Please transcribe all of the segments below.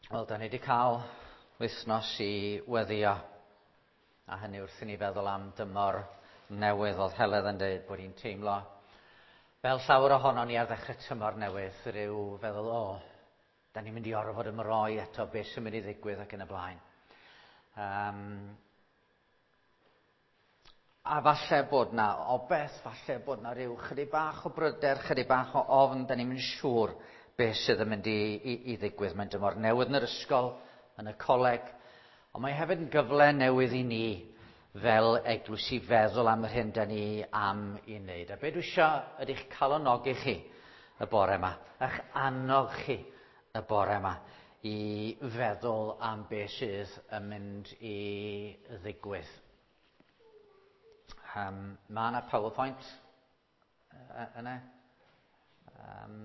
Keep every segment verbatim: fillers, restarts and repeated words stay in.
Wel, da ni wedi cael wythnos i weddio, a hynny wrth i ni feddwl am dymor newydd. Oedd Heledd yn dweud bod hi'n teimlo fel llawer ohono ni ar ddechrau tymor newydd, rhyw feddwl, o, da ni'n mynd i orfod ymroi eto, beth sy'n mynd i ddigwydd ac yn y blaen. Um, a falle bod na obeth, falle bod na rhyw chydig bach o bryder, chydig bach o ofn, da ni'n mynd siŵr beth sydd yn mynd i, i, i ddigwydd. Mae'n dymor newydd yn yr ysgol, yn y coleg, ond mae hefyd yn gyfle newydd i ni fel eglwys i feddwl am yr hyn da ni am i wneud. A be dwi eisiau ydy'ch calonogi chi y bore yma, eich annog chi y bore yma i feddwl am beth sydd yn mynd i ddigwydd. Um, mae yna PowerPoint yna. Um,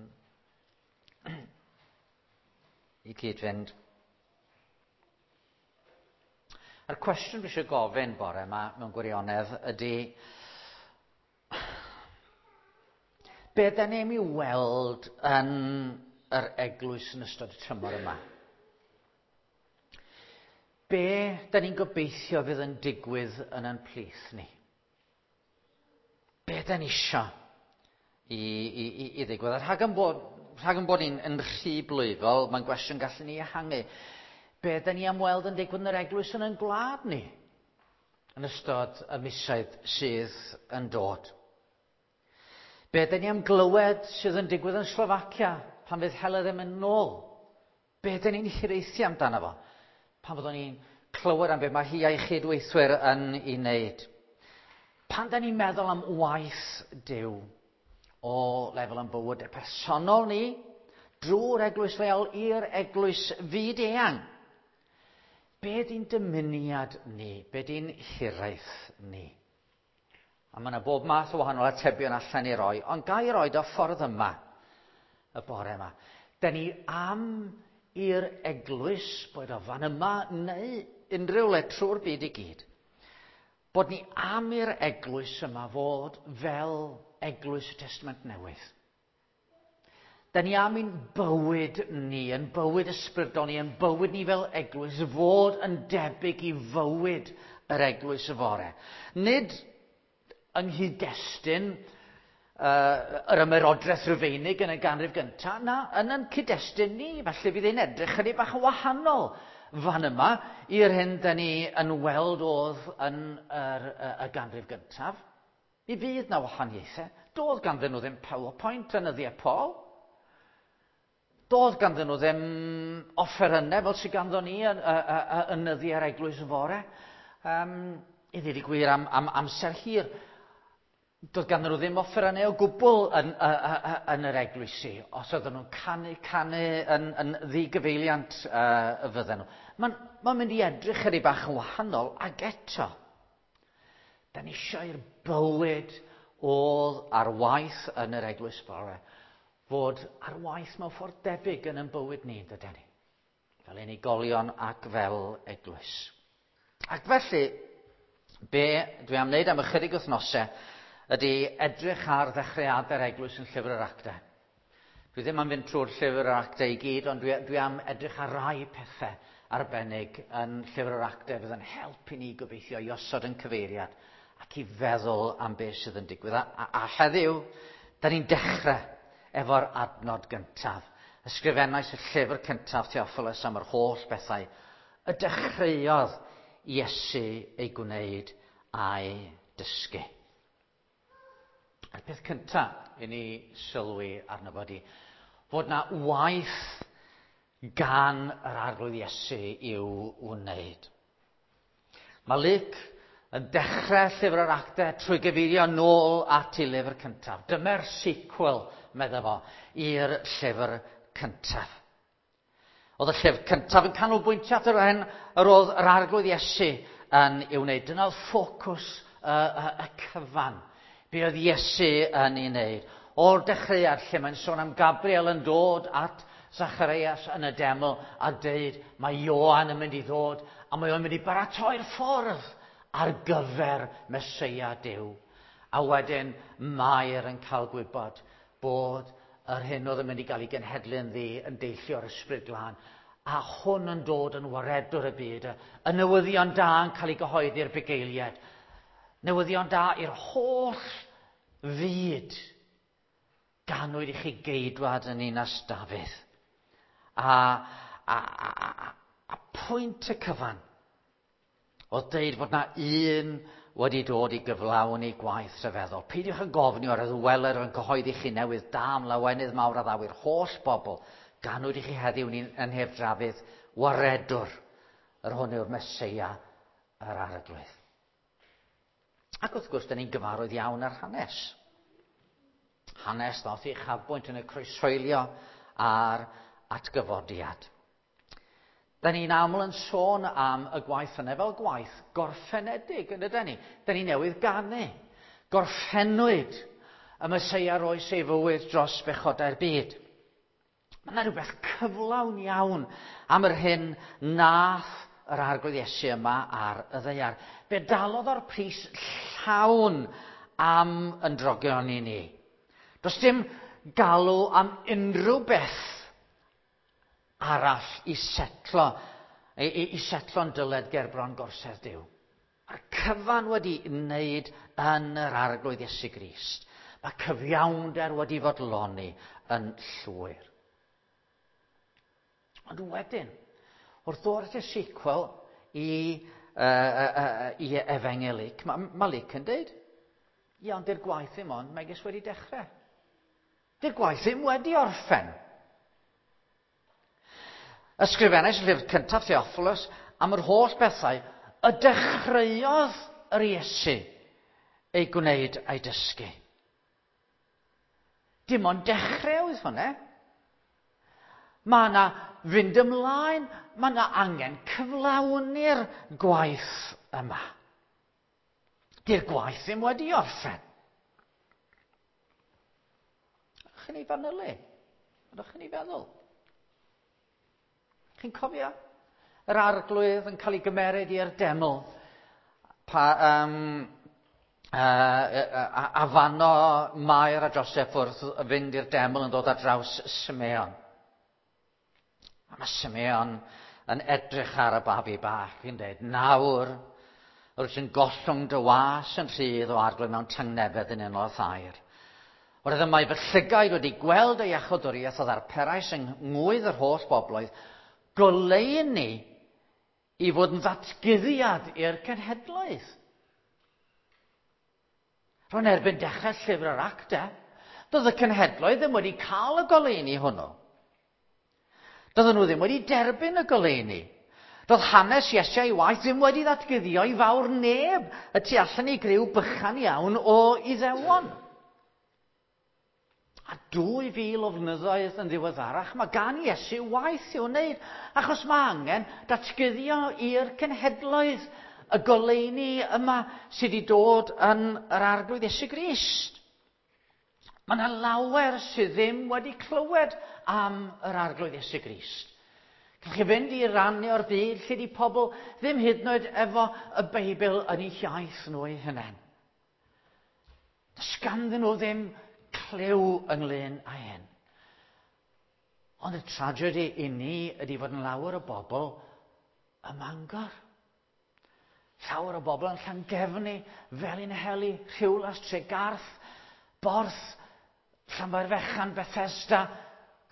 i cyd-fynd. A'r cwestiwn dwi eisiau gofyn bore yma mewn gwirionedd ydy, be da ni am i weld yn yr eglwys yn ystod y tymor yma? Be da ni'n gobeithio fydd yn digwydd yn ein plith ni? Be da ni isio i, i, i, i ddigwydd? A rhag yn bod, rhag yn bod ni'n yn rhy blwyfol, mae'n gwestiwn gallwn ni ehangu. Be da ni am weld yn digwydd yn yr eglwys yn ein gwlad ni yn ystod y misoedd sydd yn dod? Be da ni am glywed sydd yn digwydd yn Slofacia pan fydd Heledd ddim yn nôl? Be da ni'n hiraethu amdano fo pan fyddwn ni'n clywed am be mae hi a'i chydweithwyr yn ei wneud? Pan da ni'n meddwl am waith Duw o lefel yn bywydau personol ni, drwy'r eglwys leol i'r eglwys fyd-eang, be di'n dymuniad ni? Be di'n hiraeth ni? A mae yna bob math o wahanol atebion allan i roi, ond ga i roed o ffordd yma, y bore yma. Da ni am i'r eglwys, boed o fan yma neu unrhyw le trwy'r byd i gyd, bod ni am i'r eglwys yma fod fel eglwys y Testament Newydd. Da ni am i'n bywyd ni, yn bywyd ysbrydol ni, yn bywyd ni fel eglwys, fod yn debyg i fywyd yr eglwys yfory. Nid yng nghyd-destun uh, yr ymerodraeth Rufeinig yn y ganrif gyntaf, na, yn yn cyd-destun ni, felly fydd e'n edrych chydig bach yn wahanol fan yma i'r hyn da ni yn weld oedd yn yr, y, y ganrif gyntaf. Mi fydd na wahaniaethau. Doedd ganddyn nhw ddim PowerPoint yn nyddiau Paul. Doedd ganddyn nhw ddim offerynnau fel sydd ganddo ni yn, yn nyddiau'r eglwys yfory. Um, I ddweud y gwir am, am amser hir, doedd ganddyn nhw ddim offerynnau o gwbl yn, yn yr eglwysi. Os oedden nhw'n canu, canu yn, yn ddigyfeiliant uh, y fydden nhw. Mae'n ma mynd i edrych chydig bach yn wahanol, ag eto, da ni eisiau i'r bywyd oedd ar waith yn yr eglwys bore fod ar waith mewn ffordd debyg yn ein bywyd ni, dydyn ni? Fel unigolion ac fel eglwys. Ac felly, be dwi am wneud am ychydig wythnosau ydy edrych ar ddechreuadau'r eglwys yn Llyfr yr Actau. Dwi ddim am fynd trwy'r Llyfr yr Actau i gyd, ond dwi, dwi am edrych ar rai pethau arbennig yn Llyfr yr Actau fydd yn helpu ni gobeithio i osod yn cyfeiriad ac i feddwl am beth sydd yn digwydd. A, a, a heddiw, da ni'n dechrau efo'r adnod gyntaf. Ysgrifennais y llyfr cyntaf, Theophilus, am yr holl bethau y dechreuodd Iesu ei gwneud a'i dysgu. A'r peth cyntaf i ni sylwi arno fo ydi fod na waith gan yr Arglwydd Iesu i'w wneud. Mae Luc yn dechrau Llyfr yr Actau trwy gyfeirio nôl at ei lyfr cyntaf. Dyma'r sequel, medda fo, i'r llyfr cyntaf. Oedd y llyfr cyntaf yn canolbwyntio at yr hyn yr oedd yr Arglwydd Iesu yn ei wneud. Dyna oedd ffocws y, y, y cyfan. Be oedd Iesu yn ei wneud. O'r dechreuad lle mae'n sôn am Gabriel yn dod at Zacharias yn y deml a deud mae Ioan yn mynd i ddod a mae o'n mynd i baratoi'r ffordd ar gyfer Meseia Duw. A wedyn Mair yn cael gwybod bod yr hyn oedd yn mynd i gael ei genhedlu yn ddi yn deillio o'r Ysbryd Glân. A hwn yn dod yn waredwr y byd, y newyddion da yn cael ei gyhoeddi'r bugeiliad. Newyddion da i'r holl fyd. Ganwyd i chi geidwad yn ninas Dafydd. A, a, a, a, a pwynt y cyfan oedd deud fod na un wedi dod i gyflawni gwaith rhyfeddol. Peidiwch yn gofni o'r weler yn cyhoeddi chi newydd da am lawenydd mawr a ddaw i'r holl bobl. Ganwyd i chi heddiw yn nhef Dafydd waredwr, yr hwn yw'r Meseia, yr Arglwydd. Ac wrth gwrs, da ni'n gyfarwydd iawn ar hanes. Hanes ddoth i uchafbwynt yn y croeshoelio a'r atgyfodiad. Da ni'n aml yn sôn am y gwaith yna fel gwaith gorffenedig, yn ydyn ni? Da ni newydd ganu. Gorffennwyd y Meseia roes ei fywyd dros bechodau'r byd. Mae yna rhywbeth cyflawn iawn am yr hyn nath yr Arglwydd Iesu yma ar y ddaear. Fe dalodd o'r pris llawn am yn drogion i ni. Does dim galw am unrhyw beth arall i setlo, i, i, i setlo'n dyled gerbron gorsedd Duw. Mae'r cyfan wedi wneud yn yr Arglwydd Iesu Grist. Mae cyfiawnder wedi fodloni yn llwyr. Ond wedyn, wrth ddod at y sequel i, uh, uh, uh, i Efengyl Luc, mae ma Luc yn dweud, ia, ond di'r gwaith ddim ond megis wedi dechrau. Di'r gwaith ddim wedi orffen. Ysgrifennais y llyfr cyntaf Theophilus am yr holl bethau y dechreuodd yr Iesu ei gwneud a'i dysgu. Dim ond dechrau oedd hwnna. Mae yna fynd ymlaen, mae yna angen cyflawni'r gwaith yma. Di'r gwaith ddim wedi orffen. Ydych chi'n ei fanylu? Ydych chi'n ei feddwl? Chi'n cofio? Yr Arglwydd yn cael ei gymeryd i'r deml. Pa, um, uh, a, a fano Mair a Joseph wrth fynd i'r deml yn dod ar draws Simeon. A mae Simeon yn edrych ar y babi bach yn dweud, nawr, rwyt yn gollwng dy was yn rhydd o Arglwydd mewn tangnefedd yn unol â thair. Oherwydd y mae fy llygaid wedi gweld ei iachawdwriaeth o ddarperais yng ngwydd yr holl bobloedd, goleuni i fod yn ddatguddiad i'r cenhedloedd. Rwy'n erbyn dechrau llyfr yr acta, doedd y cenhedloedd ddim wedi cael y goleuni hwnnw. Doedden nhw ddim wedi derbyn y goleuni. Doedd hanes Iesu a'i waith ddim wedi ddatguddio i fawr neb y tu allan i griw bychan iawn o Iddewon. A dwy fil o flynyddoedd yn ddiweddarach, mae gan Iesu waith i'w wneud, achos mae angen datguddio i'r cenhedloedd y goleuni yma sydd wedi dod yn yr Arglwydd Iesu Grist. Mae yna lawer sydd ddim wedi clywed am yr Arglwydd Iesu Grist. Gallwch chi fynd i rannu o'r byd lle di pobl ddim hyd yn oed efo y Beibl yn eu hiaith nhw eu hunain. Does ganddyn nhw ddim clyw ynglyn â hyn. Ond y tragedy i ni ydy fod yn lawer o bobl ym Mangor. Llawer o bobl yn Llangefni, Felinheli, Rhiwlas, Tregarth, Borth, Llanfairfechan, Bethesda,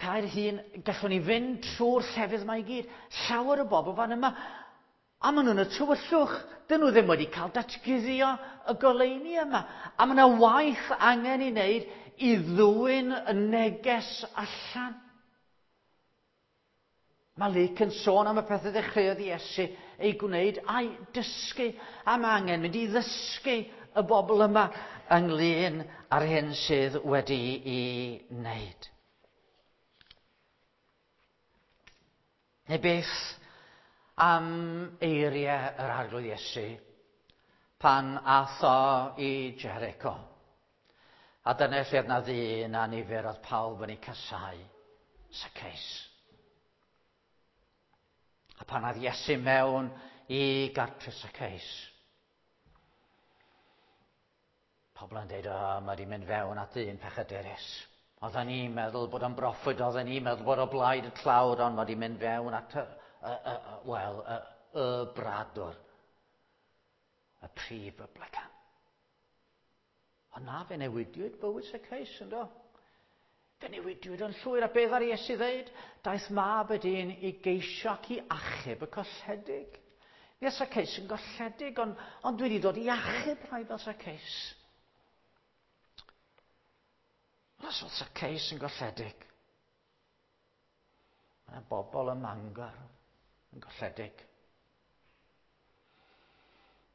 Caerhun. Gallwn ni fynd trwy'r llefydd yma i gyd. Llawer o bobl fan yma. A maen nhw'n y tywyllwch. Dyn nhw ddim wedi cael datguddio y goleuni yma. A mae yna waith angen i wneud i ddwyn y neges allan. Mae Luc yn sôn am y pethau ddechreuodd Iesu ei gwneud a'i dysgu. A mae angen mynd i ddysgu y bobl yma ynglyn â'r hyn sydd wedi'i wneud. Neu beth am eiriau yr Arglwydd Iesu pan ath o i Jericho. A dyna lle oedd na ddyn a nifer oedd pawb yn ei casau, Zacchaeus. A pan aeth Iesu mewn i gartre Zacchaeus, pobl yn dweud, o, mae wedi mynd fewn at ddyn pechadurus. Oedden ni'n meddwl bod o'n broffwyd, oedden ni'n meddwl bod o blaid y tlawd, ond mae wedi mynd fewn at y, y, y, y, wel, y, y bradwr, y prif blycan. Ond na, fe newidiwyd bywyd Zacchaeus, yndo? Fe newidiwyd yn llwyr, a beth ar Iesu ddeud? Daeth mab y dyn i geisio ac i achub y colledig. Mi oedd Zacchaeus yn golledig, ond, ond dwi wedi dod i achub rhai fel Zacchaeus. Os oedd Zacchaeus yn golledig, mae yna bobl ym Mangor yn golledig.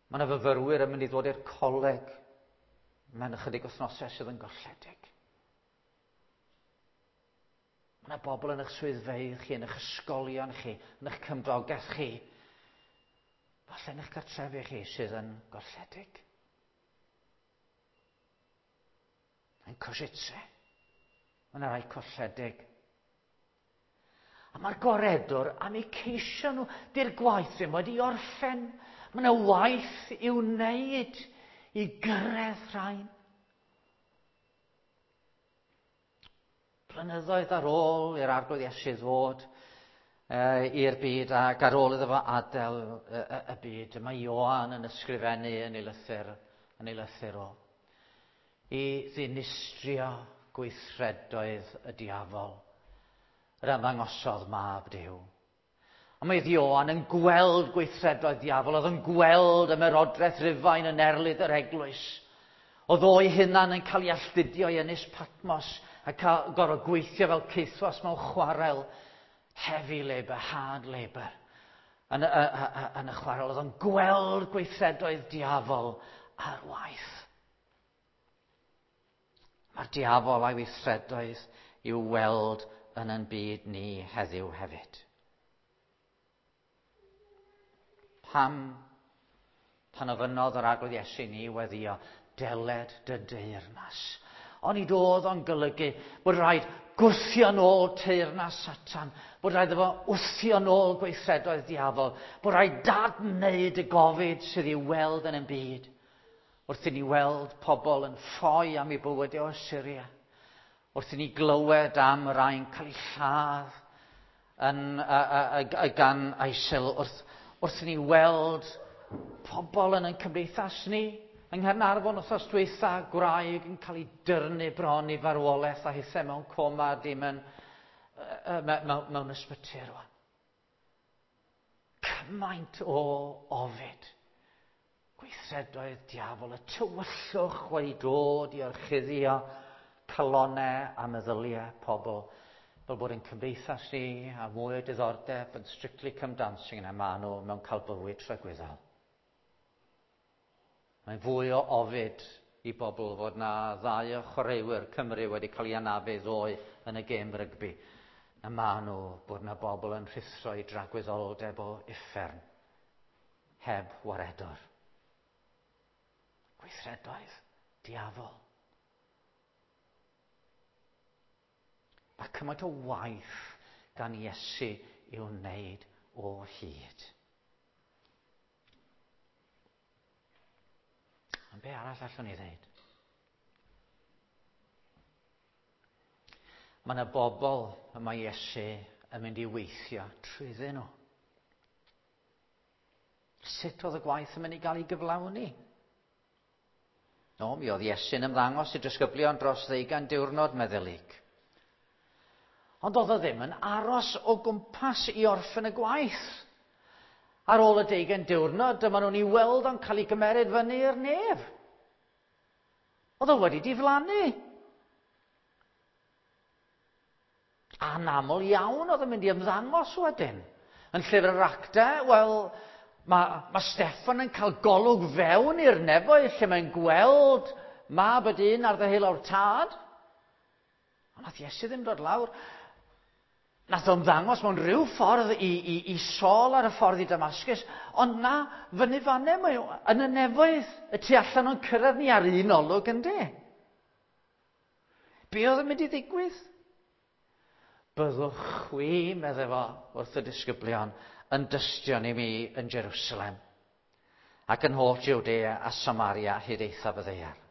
Mae yna fyfyrwyr yn mynd i ddod i'r coleg mewn ychydig wythnosau sydd yn golledig. Mae yna bobl yn eich swyddfeydd chi, yn eich ysgolion chi, yn eich cymdogaeth chi, falle yn eich cartrefi chi sydd yn golledig. Yn Košice, mae yna rai colledig. A mae'r gwaredwr am eu ceisio nhw. Di'r gwaith ddim wedi orffen. Mae yna waith i'w wneud i gyrraedd rhain. Blynyddoedd ar ôl i'r Arglwydd Iesu ddod uh, i'r byd ac ar ôl iddo fo adael y, y, y byd, mae Ioan yn ysgrifennu yn ei lythyr, yn ei lythyr o, i ddinistrio gweithredoedd y diafol, yr ymddangosodd mab Duw. A mae Ioan yn gweld gweithredoedd diafol, oedd yn gweld ymerodraeth Rufain yn erlid yr eglwys. Oedd o'i hunan yn cael ei alltudio i Ynys Patmos a cael gorfod gweithio fel caethwas mewn chwarel, heavy labour, hard labour, yn y, y, y, yn y chwarel. Oedd o'n gweld gweithredoedd diafol ar waith. Mae'r diafol a'i weithredoedd i'w weld yn ein byd ni heddiw hefyd. Pam, pan ofynnodd yr Arglwydd Iesu ni weddio, deled dy deyrnas. Onid oedd o'n golygu bod rhaid gwthio nôl teyrnas Satan, bod rhaid iddo fo wthio nôl gweithredoedd diafol, bod rhaid dadwneud y gofid sydd i'w weld yn ein byd. Wrth i ni weld pobl yn ffoi am eu bywydau o Syria, wrth i ni glywed am rai'n cael eu lladd yn, a, a, a, gan ISIL, wrth, wrth i ni weld pobl yn ein cymdeithas ni, yng Nghaernarfon wythnos dwytha, gwraig yn cael ei dyrnu bron i farwolaeth a hithau mewn coma, dim yn, uh, mewn, mewn ysbyty rwan. Cymaint o ofid. Gweithredoedd diafol, y tywyllwch wedi dod i orchuddio calonnau a meddyliau pobl, fel bod ein cymdeithas ni a mwy o diddordeb yn Strictly Come Dancing na maen nhw mewn cael bywyd tragwyddol. Mae'n fwy o ofid i bobl fod na ddau o chwaraewyr Cymru wedi cael ei anafu ddoe yn y gêm rygbi, na maen nhw bod na bobl yn rhuthro i dragwyddoldeb o uffern, heb waredwr. Gweithredoedd diafol. Mae cymaint o waith gan Iesu i'w wneud o hyd. Ond be arall allwn ni ddeud? Mae yna bobl y mae Iesu yn mynd i weithio trwyddyn nhw. Sut oedd y gwaith yn mynd i gael ei gyflawni? No, mi oedd Iesu'n ymddangos i disgyblion dros ddeugain diwrnod meddylig. Ond oedd o ddim yn aros o gwmpas i orffen y gwaith. Ar ôl y deugain diwrnod, dyma nhw'n ei weld o'n cael ei gymeryd fyny i'r nef. Oedd o wedi diflannu. Anaml iawn oedd yn mynd i ymddangos wedyn. Yn llyfr yr Actau, wel, mae, mae Steffan yn cael golwg fewn i'r nefoedd lle mae'n gweld mab y dyn ar ddeheulaw'r tad. Ond nath Iesu ddim dod lawr. Nath o ymddangos mewn rhyw ffordd i, i, i Saul ar y ffordd i Damascus, ond na, fyny fanne, mae o yn y nefoedd, y tu allan o'n cyrraedd ni ar un olwg, ynddi? Be oedd yn mynd i ddigwydd? Byddwch chwi, medde fo, wrth y disgyblion, yn dystion i mi yn Jerusalem, ac yn holl Jwdea a Samaria hyd eithaf y ddaear.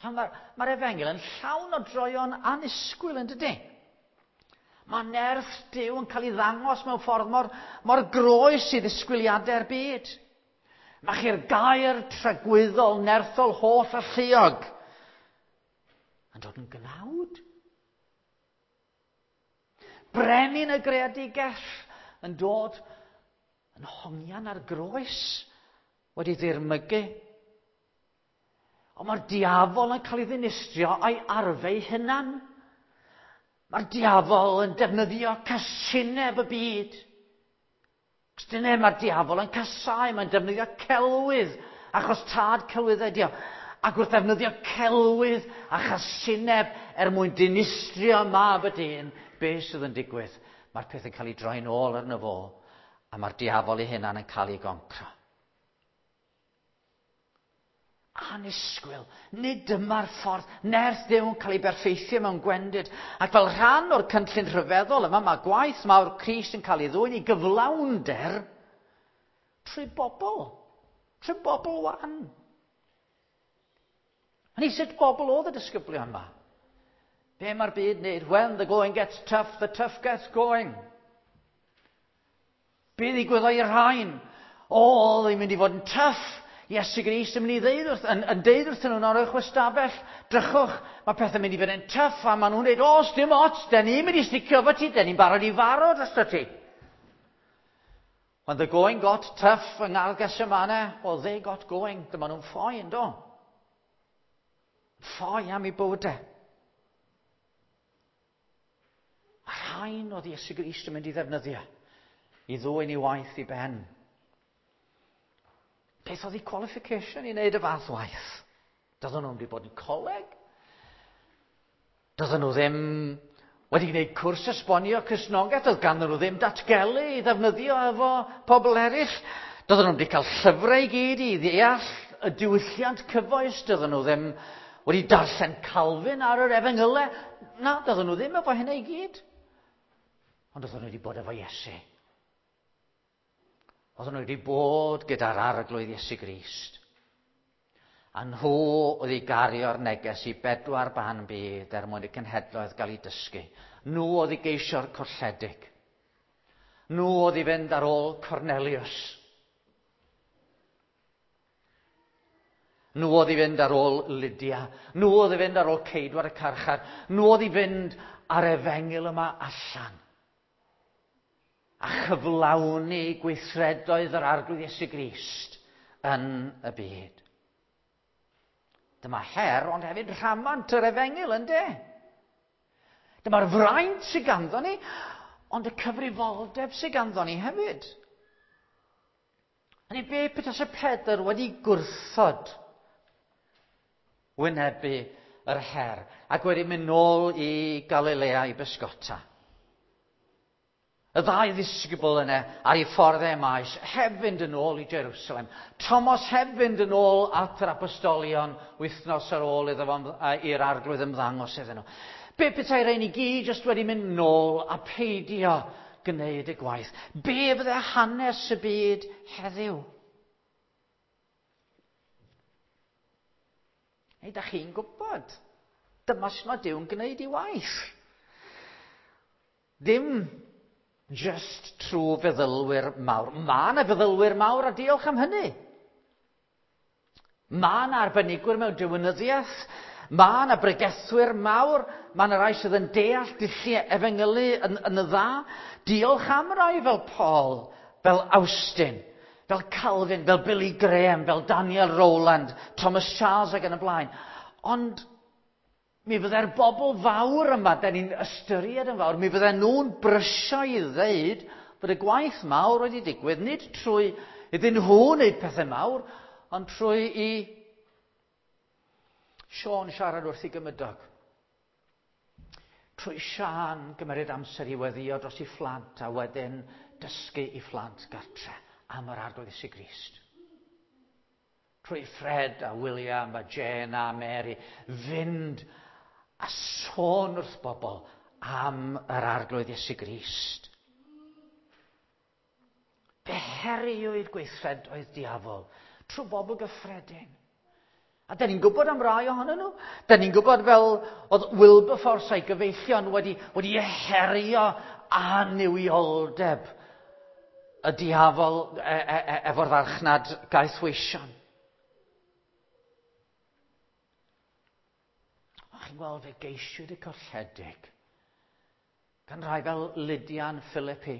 Mae'r ma efengyl yn llawn o droion annisgwyl, yn dydy? Mae nerth Duw yn cael ei ddangos mewn ffordd mor, mor groes i ddisgwyliadau'r byd. Mae chi'r gair tragwyddol, nerthol, holl alluog yn dod yn gnawd. Brenin y greadigaeth yn dod yn hongian ar groes wedi ddirmygu. Ond mae'r diafol yn cael ei ddinistrio a'i arfau hunan. Mae'r diafol yn defnyddio casineb y byd. Cos dyna mae'r diafol yn casau, mae'n defnyddio celwydd, achos tad celwyddau ydi o. Ac wrth ddefnyddio celwydd a chasineb er mwyn dinistrio mab y dyn, be sydd yn digwydd? Mae'r peth yn cael ei droi'n ôl arno fo, a mae'r diafol ei hunan yn cael ei goncro. Annisgwyl, nid dyma'r ffordd, nerth Duw yn cael ei berffeithio mewn gwendid. Ac fel rhan o'r cynllun rhyfeddol yma, mae gwaith mawr Crist yn cael ei ddwyn i gyflawnder trwy bobl, trwy bobl wan. A ni sut bobl oedd y disgyblion yma? Be mae'r byd wneud? When the going gets tough, the tough gets going. Be ddigwyddodd i'r rhain? O, oedd hi'n mynd i fod yn tough. Iesu Grist yn mynd i ddeud wrth, yn, yn deud wrthyn nhw'n o'r chwestafell, drychwch, mae pethau'n mynd i fod yn tough, a maen nhw'n dweud, o, dim ots, den ni'n mynd i sticio efo ti, den ni'n barod i farw drosto ti. When the going got tough yng Ngardd Gethsemane, well, they got going. Dyma nhw'n ffoi, yn do? Ffoi am eu bywydau. A rhain oedd Iesu Grist yn mynd i ddefnyddio i ddwyn ei waith i ben. Beth oedd ei qualification i wneud y fath waith? Doedden nhw'n wedi bod yn coleg? Doedden nhw ddim wedi gwneud cwrs esbonio Cristnogaeth? Doedd ganddyn nhw ddim datgelu i ddefnyddio efo pobl eraill? Doedden nhw wedi cael llyfrau i gyd i ddeall y diwylliant cyfoes? Doedden nhw ddim wedi darllen Calvin ar yr efengylau? Na, doedden nhw ddim efo hynny i gyd. Ond doedden nhw wedi bod efo Iesu. Oedden nhw wedi bod gyda'r Arglwydd Iesu Grist. A nhw oedd i gario'r neges i bedwar ban byd er mwyn y cenhedloedd gael eu dysgu. Nhw oedd i geisio'r colledig. Nhw oedd i fynd ar ôl Cornelius. Nhw oedd i fynd ar ôl Lydia. Nhw oedd i fynd ar ôl ceidwad y carchar. Nhw oedd i fynd ar efengyl yma allan. A chyflawni gweithredoedd yr Arglwydd Iesu Grist yn y byd. Dyma her, ond hefyd rhamant yr efengyl, ynde? Dyma'r fraint sydd ganddo ni, ond y cyfrifoldeb sydd ganddo ni hefyd. Hynny be petase Pedr wedi gwrthod wynebu yr her ac wedi mynd nôl i Galilea i bysgota. Y ddau ddisgybl yna ar ei ffordd e maes, heb fynd yn ôl i Jerusalem. Thomas heb fynd yn ôl at yr apostolion wythnos ar ôl iddo fo i'r Arglwydd ymddangos iddyn nhw. Be petai rhain i gyd jyst wedi mynd nôl a peidio gwneud y gwaith? Be fydde hanes y byd heddiw? Neu da chi'n gwybod, dyma sut mae Duw'n gwneud ei waith. Dim just trwy feddylwyr mawr. Mae yna feddylwyr mawr a diolch am hynny. Mae yna arbenigwyr mewn diwinyddiaeth. Mae yna bregethwyr mawr. Mae yna rai sydd yn deall dulliau efengylu yn, yn y dda. Diolch am rai fel Paul, fel Austin, fel Calvin, fel Billy Graham, fel Daniel Rowland, Thomas Charles ac yn y blaen. Ond mi fyddai'r bobl fawr yma, da ni'n ystyried yn fawr, mi fydden nhw'n brysio i ddeud bod y gwaith mawr wedi digwydd, nid trwy iddyn nhw wneud pethau mawr, ond trwy i Siôn siarad wrth ei gymydog. Trwy Siân gymeryd amser i weddïo dros ei phlant a wedyn dysgu i phlant gartre am yr Arglwydd Iesu Grist. Trwy Fred a William a Jane a Mary fynd a sôn wrth bobl am yr Arglwydd Iesu Grist. Fe heriwyd gweithredoedd diafol trwy bobl gyffredin. A da ni'n gwybod am rai ohonyn nhw. Da ni'n gwybod fel oedd Wilberforce a'i gyfeillion wedi, wedi herio annuwioldeb y diafol e, e, e, efo'r farchnad gaethweision. O, chi'n gweld, fe geisiwyd y colledig gan rai fel Lydia yn Philippi,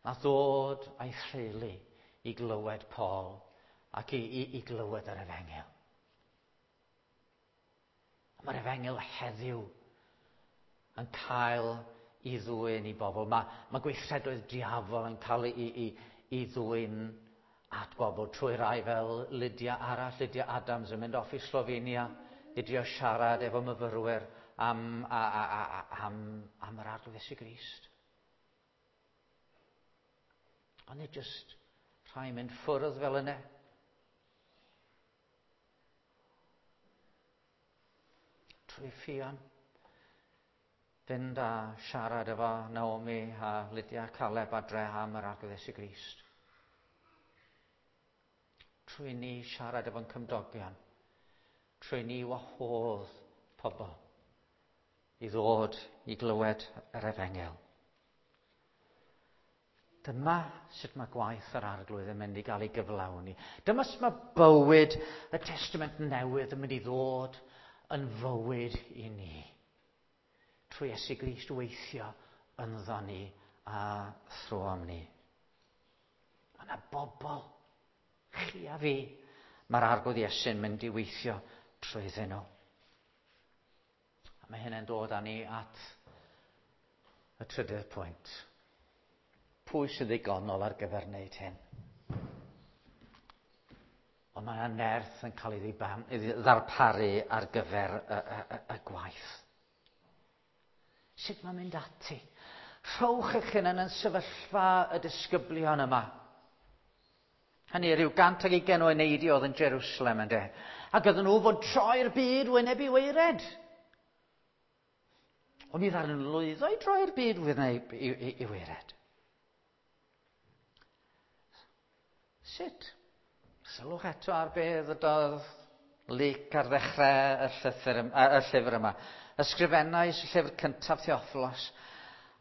a ddod a'i theulu i glywed Paul ac i, i, i glywed yr efengyl. Mae'r efengyl heddiw yn cael i ddwyn i bobl. Mae, mae gweithredoedd diafol yn cael ei, i, i ddwyn at bobl trwy rai fel Lydia arall, Lydia Adams yn mynd off i Slovenia i drio siarad efo myfyrwyr am, a, a, a, am, am yr Arglwydd Iesu Grist. Ond nid jyst rhai mynd ffwrdd fel yna. Trwy Ffion, fynd a siarad efo Naomi a Lydia Caleb adre am yr Arglwydd Iesu Grist. Trwy ni siarad efo'n cymdogion, trwy ni wahodd pobl i ddod i glywed yr efengyl. Dyma sut mae gwaith yr Arglwydd yn mynd i gael ei gyflawni. Dyma sut mae bywyd y Testament Newydd yn mynd i ddod yn fywyd i ni. Trwy Iesu Grist weithio ynddo ni a thrwom ni. Mae yna bobl, chi a fi, mae'r Arglwydd Iesu'n mynd i weithio trwyddyn nhw. A mae hynny'n dod â ni at y trydydd pwynt. Pwy sy'n ddigonol ar gyfer wneud hyn? Ond mae yna nerth yn cael ei ddarparu ar gyfer y, y, y, y gwaith. Sut mae'n mynd ati? Rhowch eich hunain yn sefyllfa y disgyblion yma. Hynny, rhyw gant ag ugain o eneidiau oedd yn Jerusalem ynde. Ac oedden nhw fod troi'r byd wyneb i waered. Ond mi ddaru nhw lwyddo i droi'r byd wyneb i, i, i waered. Sut? Sylwch eto ar be ddydodd Luc ar ddechrau y, llythyr, y llyfr yma. Ysgrifennais y llyfr cyntaf Theophilos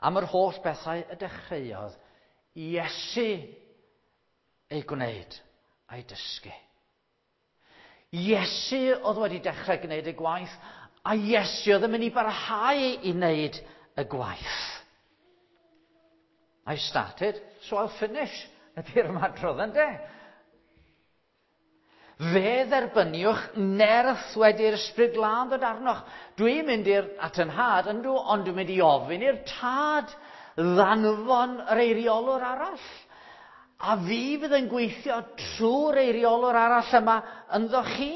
am yr holl bethau y dechreuodd Iesu ei gwneud a'i dysgu. Iesu oedd wedi dechrau gwneud y gwaith, a Iesu oedd yn mynd i barhau i wneud y gwaith. I started, so I'll finish, ydy'r ymadrodd ynde? Fe dderbyniwch nerth wedi'r Ysbryd Glân ddod arnoch. Dwi'n mynd i'r at yn nhad, yndw, ond dwi'n mynd i ofyn i'r tad ddanfon yr eiriolwr arall. A fi fydd yn gweithio trwy'r eiriolwr arall yma ynddo chi.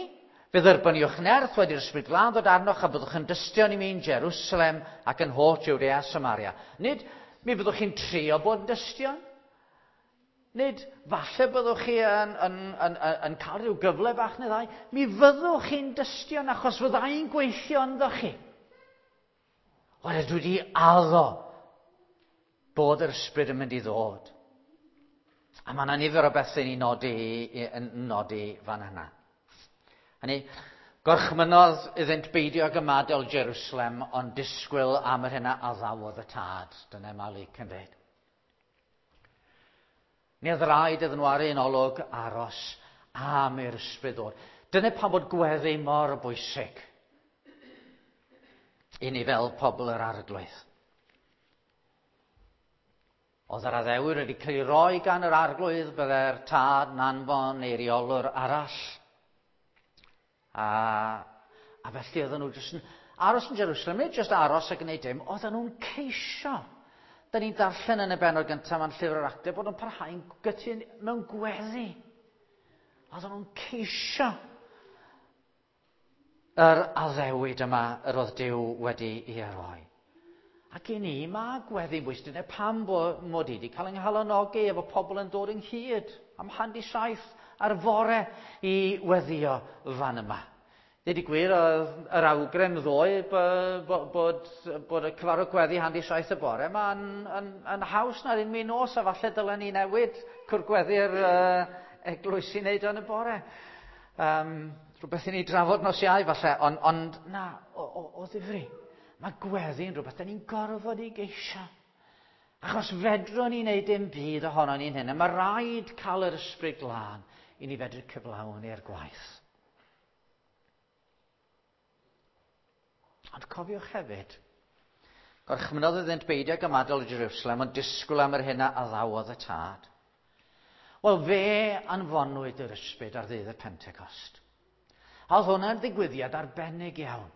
Fe dderbyniwch nerth wedi'r Ysbryd Glân ddod arnoch a byddwch yn dystion i mi yn Jerusalem ac yn holl Jwdea a Samaria. Nid mi fyddwch chi'n trio bod yn dystion. Nid falle byddwch chi yn, yn, yn, yn, yn cael rhyw gyfle bach neu ddau. Mi fyddwch chi'n dystion achos fyddai'n gweithio ynddo chi. Oherwydd dwi wedi addo bod yr ysbryd yn mynd i ddod. A mae yna nifer o bethau ni'n nodi, yn nodi fan yna. Hynny, gorchmynnodd iddynt beidio ag ymadael Jerusalem, ond disgwyl am yr hyn a addawodd y tad. Dyna mae Luc yn dweud. Ni oedd rhaid iddyn nhw ar un olwg aros am i'r ysbryd ddod. Dyna pam bod gweddi mor bwysig i ni fel pobl yr Arglwydd. Oedd yr addewid wedi cael ei roi gan yr Arglwydd, bydde'r tad yn anfon eiriolwr arall. A, a felly oedden nhw jyst yn aros yn Jerusalem, nid jyst aros a gwneud dim, oedden nhw'n ceisio. Da ni'n darllen yn y bennod gyntaf ma'n llyfr yr Actau bod nhw'n parhau'n gytûn mewn gweddi. Oedden nhw'n ceisio yr addewid yma yr oedd Duw wedi ei roi. Ac i ni, mae gweddi'n bwysig. Dyna pam bo, mod i wedi cael yng nghalonogi efo pobl yn dod ynghyd am hanner saith ar fore i weddio fan yma. Dweud y gwir, oedd yr awgrym ddoe bod, bod, bod y cyfarfod gweddi hanner saith y bore yma yn, yn, yn haws na'r un mi nos, a falle dylen ni newid cwr gweddi'r uh, eglwys i wneud yn y bore. Um, Rhywbeth i ni drafod nos Iau falle, ond, ond na, o, o, o ddifri. Mae gweddi yn rhywbeth da ni'n gorfod i geisio. Achos fedrwn ni wneud dim byd ohono ni'n hyn. A mae rhaid cael yr Ysbryd Glân i ni fedru cyflawni'r gwaith. Ond cofiwch hefyd, gorchmynnodd iddynt beidio ag ymadael o Jerusalem, ond disgwyl am yr hyn a addawodd y Tad. Wel, fe anfonwyd yr Ysbryd ar ddydd y Pentecost. A oedd hwnna'n ddigwyddiad arbennig iawn.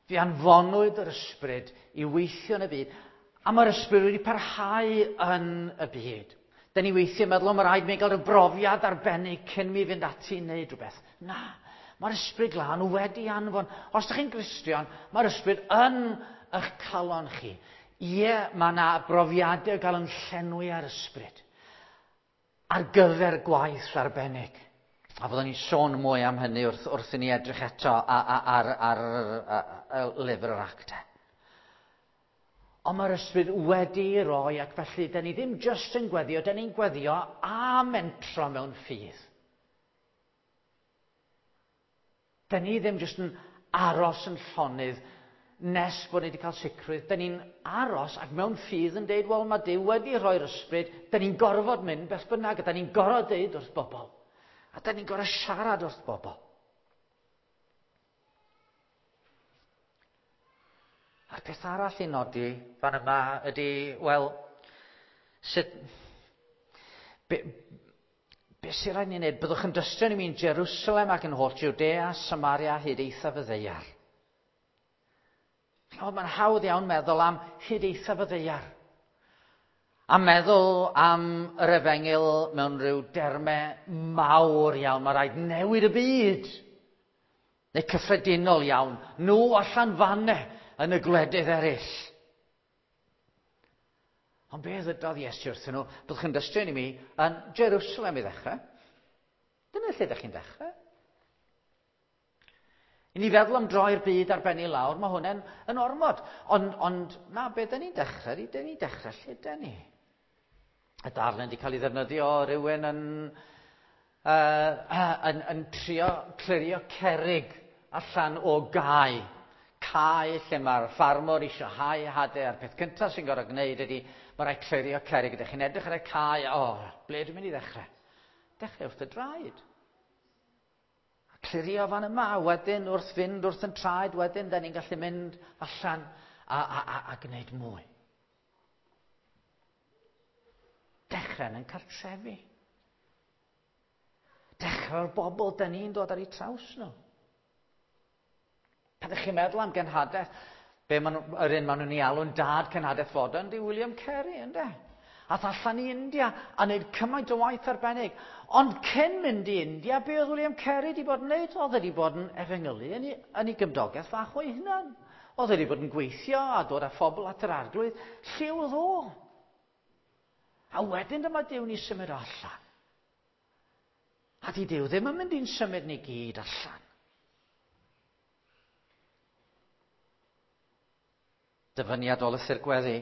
Fe anfonwyd yr Ysbryd i weithio yn y byd, a mae'r Ysbryd wedi parhau yn y byd. Da ni weithio yn meddwl, mae rhaid mi gael rhyw brofiad arbennig cyn mi fynd ati i wneud rhywbeth. Na, mae'r Ysbryd Glân wedi anfon. Os ydych chi'n Gristion, mae'r Ysbryd yn eich calon chi. Ie, mae yna brofiadau gael yn llenwi ar Ysbryd ar gyfer gwaith arbennig. A fyddwn ni'n sôn mwy am hynny wrth, wrth i ni edrych eto ar, ar, ar, ar, ar lyfr yr Actau. Ond mae'r Ysbryd wedi'i roi, ac felly, da ni ddim jyst yn gweddio, da ni'n gweddio a mentro mewn ffydd. Da ni ddim jyst yn aros yn llonydd nes bod ni wedi cael sicrwydd. Da ni'n aros ac mewn ffydd yn deud, wel, mae Duw wedi rhoi'r Ysbryd, da ni'n gorfod mynd beth bynnag, a da ni'n gorfod deud wrth bobl. A da ni'n gorfod siarad wrth bobl. A'r peth arall i nodi fan yma ydy, wel, sut... Be, be sy'n rhaid ni wneud? Byddwch yn dystio i mi yn Jerusalem ac yn holl Judea, Samaria, hyd eithaf y ddaear. O, mae'n hawdd iawn meddwl am hyd eithaf y ddaear. A meddwl am yr efengyl mewn rhyw dermau mawr iawn. Mae rhaid newid y byd. Neu cyffredinol iawn. Nhw allan fanne yn y gwledydd eraill. Ond be ddydodd Iesu wrthyn nhw? Byddwch yn dystio i mi yn Jerusalem i ddechrau. Dyna lle ydych chi'n dechrau. I ni feddwl am droi'r byd ar ben i lawr, mae hwnna'n yn ormod. Ond, ond na, be dyn ni'n dechrau? Dyn ni'n dechrau lle dyn ni? Y darlun wedi cael ei ddefnyddio rhywun yn, uh, yn, yn trio clirio cerrig allan o gae. Cae lle mae'r ffarmwr eisiau hau hadau, a'r peth cyntaf sy'n gorfod gwneud ydy mae rhaid clirio cerrig. Ydych chi'n edrych ar y cae, o, oh, ble dwi'n mynd i ddechrau? Dechrau wrth y draed. A clirio fan yma, wedyn wrth fynd wrth yn traed, wedyn da ni'n gallu mynd allan a, a, a, a gwneud mwy. Dechrau yn cartrefi. Dechrau'r bobl da ni'n dod ar eu traws nhw. Pan ydych chi'n meddwl am genhadaeth, be ma nhw, yr un maen nhw'n ei alw'n dad cenhadaeth fodern, di William Carey, ynde? Ath allan i India a wneud cymaint o waith arbennig. Ond cyn mynd i India, be oedd William Carey wedi bod yn wneud? Oedd wedi bod yn efengylu yn ei, yn ei gymdogaeth fach o'i hunan. Oedd wedi bod yn gweithio a dod â phobl at yr Arglwydd. Lle oedd o? A wedyn dyma Duw ni symud allan. A di Duw ddim yn mynd i'n symud ni gyd allan. Dyfyniad o lythyr gweddi.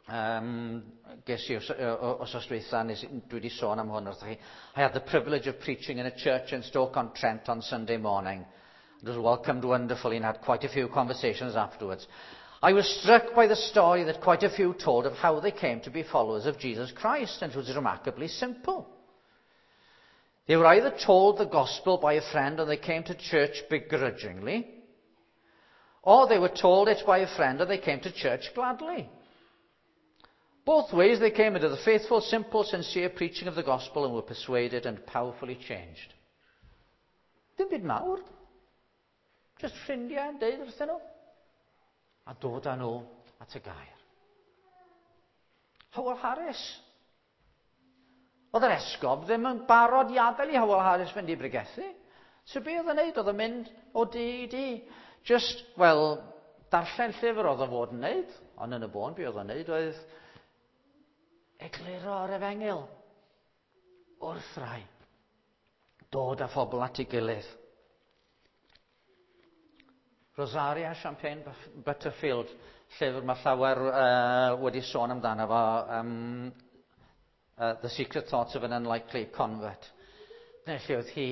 Um, ges i wsos dwytha, nes, dwi wedi sôn am hwn wrthych chi. I had the privilege of preaching in a church in Stoke-on-Trent on Sunday morning. It was welcomed wonderfully and had quite a few conversations afterwards. I was struck by the story that quite a few told of how they came to be followers of Jesus Christ, and it was remarkably simple. They were either told the gospel by a friend and they came to church begrudgingly, or they were told it by a friend and they came to church gladly. Both ways they came into the faithful, simple, sincere preaching of the gospel and were persuaded and powerfully changed. Dim byd mawr. Just ffrindiau yn deud wrthyn nhw. A dod â nhw at y gair. Howell Harris. Oedd yr esgob ddim yn barod i adael i Howell Harris fynd i bregethu. So be oedd yn neud? Oedd yn mynd o dŷ i dŷ. Just, wel, darllen llyfr oedd o fod yn neud. Ond yn y bôn, be oedd yn neud oedd egluro yr efengyl wrth rai. Dod â phobl at ei gilydd. Rosaria Champagne Butterfield, llyfr mae llawer uh, wedi sôn amdano fo, um, uh, The Secret Thoughts of an Unlikely Convert. Dyna lle oedd hi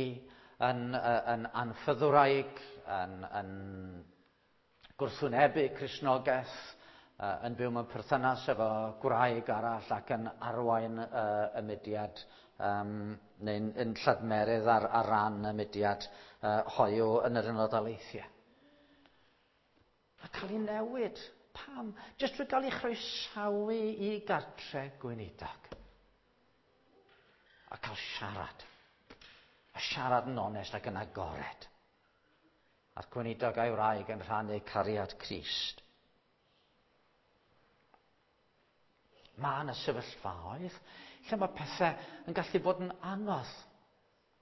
yn, yn anffyddwraig, yn, yn gwrthwynebu Cristnogaeth, yn byw mewn perthynas efo gwraig arall ac yn arwain uh, y mudiad, um, neu'n yn lladmerydd ar, ar ran y mudiad uh, hoyw yn yr Unol Daleithiau. A cael ei newid. Pam? Jyst drwy gael ei chroesawu i gartre gweinidog. A cael siarad. A siarad yn onest ac yn agored. A'r gweinidog a'i wraig yn rhannu cariad Crist. Mae yna sefyllfaoedd lle mae pethau yn gallu bod yn anodd.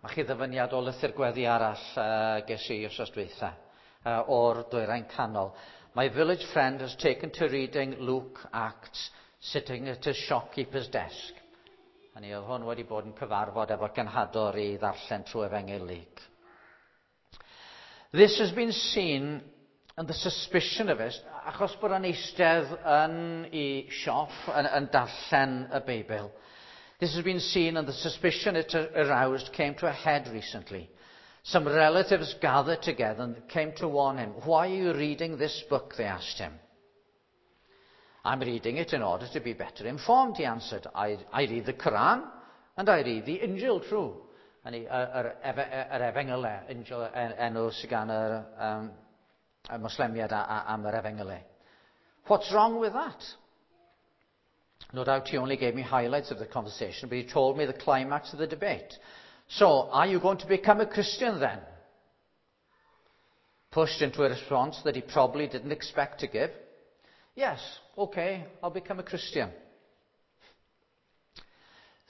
Mae chi ddyfyniad o lythyr gweddi arall uh, ges i wsos dwytha uh, o'r Dwyrain Canol. My village friend has taken to reading Luke Acts sitting at his shopkeeper's desk. Hynny oedd hwn wedi bod yn cyfarfod efo genhador i ddarllen trwy Efengyl Luc. This has been seen and the suspicion of it, achos bod o'n eistedd yn ei siop, yn, yn darllen y Beibl. This has been seen and the suspicion it aroused came to a head recently. Some relatives gathered together and came to warn him. Why are you reading this book? They asked him. I'm reading it in order to be better informed, he answered. I, I read the Quran and I read the Injil true. Yr, yr, yr Efengylau, Injil enw sydd gan yr um, y Moslemiad am yr Efengylau. What's wrong with that? No doubt he only gave me highlights of the conversation, but he told me the climax of the debate. So, are you going to become a Christian then? Pushed into a response that he probably didn't expect to give. Yes, okay, I'll become a Christian.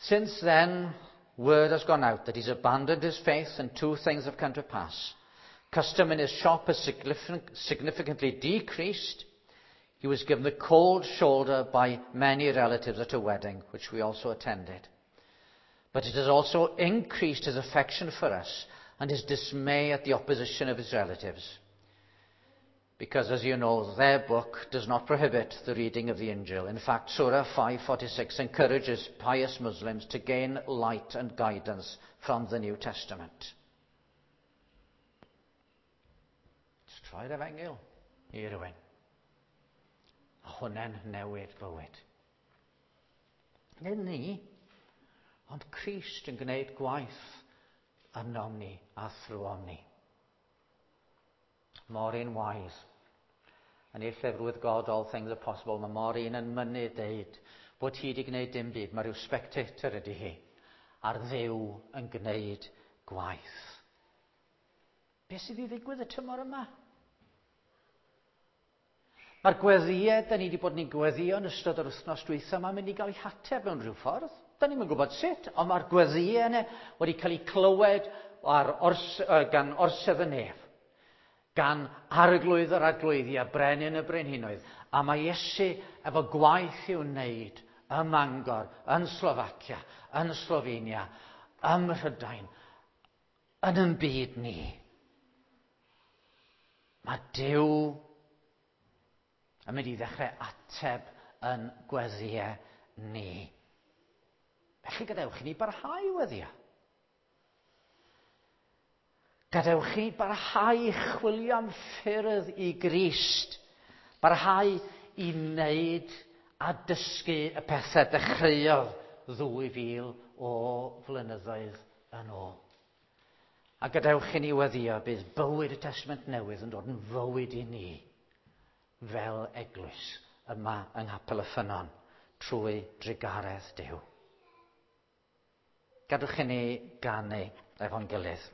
Since then, word has gone out that he's abandoned his faith and two things have come to pass. Custom in his shop has significantly decreased. He was given the cold shoulder by many relatives at a wedding, which we also attended. But it has also increased his affection for us and his dismay at the opposition of his relatives. Because, as you know, their book does not prohibit the reading of the Injil. In fact, Surah five forty-six encourages pious Muslims to gain light and guidance from the New Testament. Just troi'r Efengyl i rywun. A hwnna'n newid bywyd. Nid ni, ond Crist yn gwneud gwaith ynom ni a thrwom ni. Maureen Wise. Yn ei llyfr With God All Things Are Possible, mae Maureen yn mynnu deud bod hi wedi gwneud dim byd. Mae rhyw spectator ydy hi. A'r Dduw yn gwneud gwaith. Be sydd i ddigwydd y tymor yma? Mae'r gweddïau da ni wedi bod ni'n gweddïo yn ystod yr wythnos dwytha yma'n mynd i gael ei hateb mewn rhyw ffordd. Da ni'm yn gwybod sut, ond mae'r gweddïau yna wedi cael eu clywed ar ors, gan orsedd y nef, gan arglwydd yr arglwyddi a brenin y brenhinoedd. A mae Iesu efo gwaith i'w wneud ym Mangor, yn Slofacia, yn Slovenia, ym Mhrydain, yn ein byd ni. Mae Duw yn mynd i ddechrau ateb yn gweddïau ni. Felly gadewch i ni barhau weddïo. Gadewch i ni barhau i chwilio am ffyrdd i Grist. Barhau i wneud a dysgu y pethau dechreuodd ddwy fil o flynyddoedd yn ôl. A gadewch i ni weddïo bydd bywyd y Testament Newydd yn dod yn fywyd i ni fel eglwys yma yng Nghapel y Ffynnon trwy drugaredd Duw. Gadewch i ni ganu efo'n gilydd.